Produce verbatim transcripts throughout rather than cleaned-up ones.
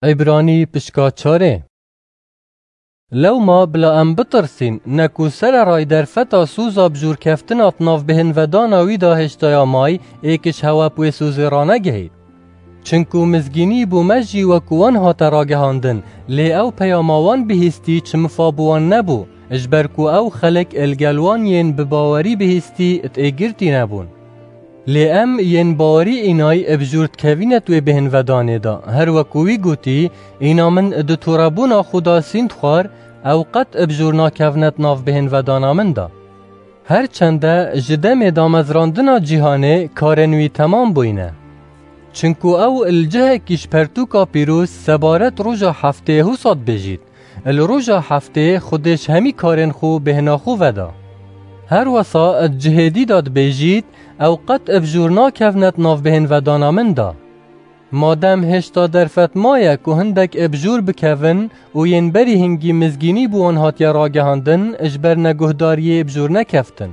Îbranî pişka çarê. Lewma bila em bitirsîn, ne ku sererayî derfeta sûza bijûrkeftina di nav bêhnvedana wî de hêştaya may, êk ji hewe bi wê sûzê ranegihît. Çinku mizgînî bo me jî wekû wan hate ragihandin, lê ew peyama wan bihîstî çi mifa bi wan nebû, ji ber ku ew xelk li gel wan yên bi bawerî bihîstî di êgirtî nebûn. Lê em yên bawerî înay bi jûr dikevîne di wê bêhnvedanê de, her wekû wî gotî, îna min di torebûna xwe de sînd xwar, ew qet bi jûr nakevne di nav bêhnvedana min de. Her çende ji demê damezrandina cîhanê karên wî temam bûyne. Çinku ew li cihekî ji pertûka pîroz sebaret roja heftê husa dibêjît, li roja heftê Xwedê ji hemî karên xwe bêhna xwe veda. Her wesa di cihê dî de dibêjît, ew qet bi jûr nakevne di nav bêhnvedana min de. Madem hêşta derfet maye ku hindek bi jûr bikevin û yên berî hingî mizgînî bi wan hatiye ragihandin, ji ber neguhdariyê bi jûr nekeftin.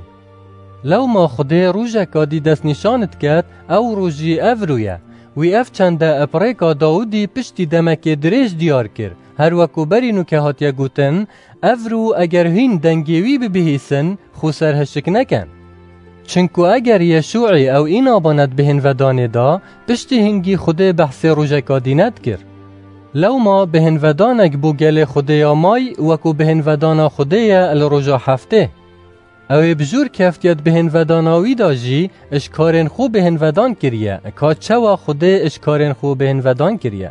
Lewma Xwedê rojeka dî destnîşan diket, ew roj jî evro ye. Wî ev çende bi rêka Dawidî piştî demekê dirêj diyar kir, her wekû berî nûke hatiye gotin, evro eger hîn dengê wî bibihîsin, xwe serhişik neken. Çinku eger Yeşûî ew îna bane di bêhnvedanê de, piştî hingî Xwedê behsê rojeka dî nedikir. Lewma bêhnvedanek bo gelê Xwedê ya may wekû bêhnvedana Xwedê ye li roja heftê. Ew ê bi jûr keftiye di bêhnvedana wî de jî ji karên xwe bêhnvedan kiriye, ka çawa Xwedê ji karên xwe bêhnvedan kiriye.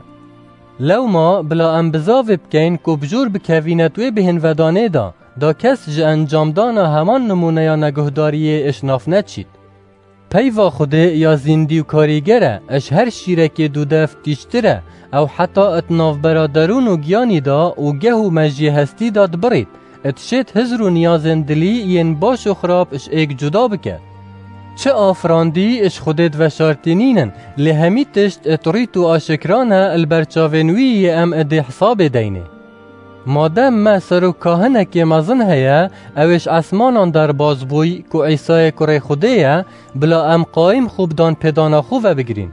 Lewma bila em bizavê bikeyn ku bi jûr bikevîne di wê bêhnvedanê de, da kes ji encamdana heman nimûneya neguhdariyê ji nav neçît. Peyva Xwedê ya zîndî û karîger e, ji her şîrekê dûdev tîjtir e, ew heta di navbera derûn û giyanî de û geh û mejiyê hestî de dibirît, dişêt hizr û niyazên dilî yên baş û xirab ji êk cuda bike. Çi afirandî ji Xwedê diveşartî nînin, lê hemî tişt di rît û aşikran e li ber çavên wî yê em dê hesabê deynê. Madem me serok kahinekê mezin heye, ew ê ji esmanan derbas bûy ku Îsayê kurê Xwedê ye, bila em qayîm xwe bi danpêdana xwe vebigirîn.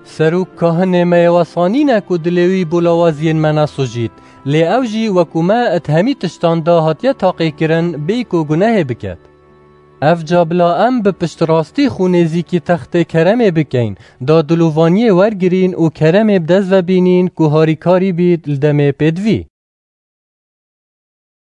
Serok kahinê me yê wesa nîne ku dilê wî bo lawaziyên me nesujît, lê ew jî wekû me di hemî tiştan de hatiye taqîkirin, bêyî ku gunehê biket. Ev ca bila em bi piştrastî xwe nêzîkî textê keremê bikeyn, da dilovaniyê wergirîn û keremê bi dest ve bînîn ku harîkarî bît li demê pêdivî.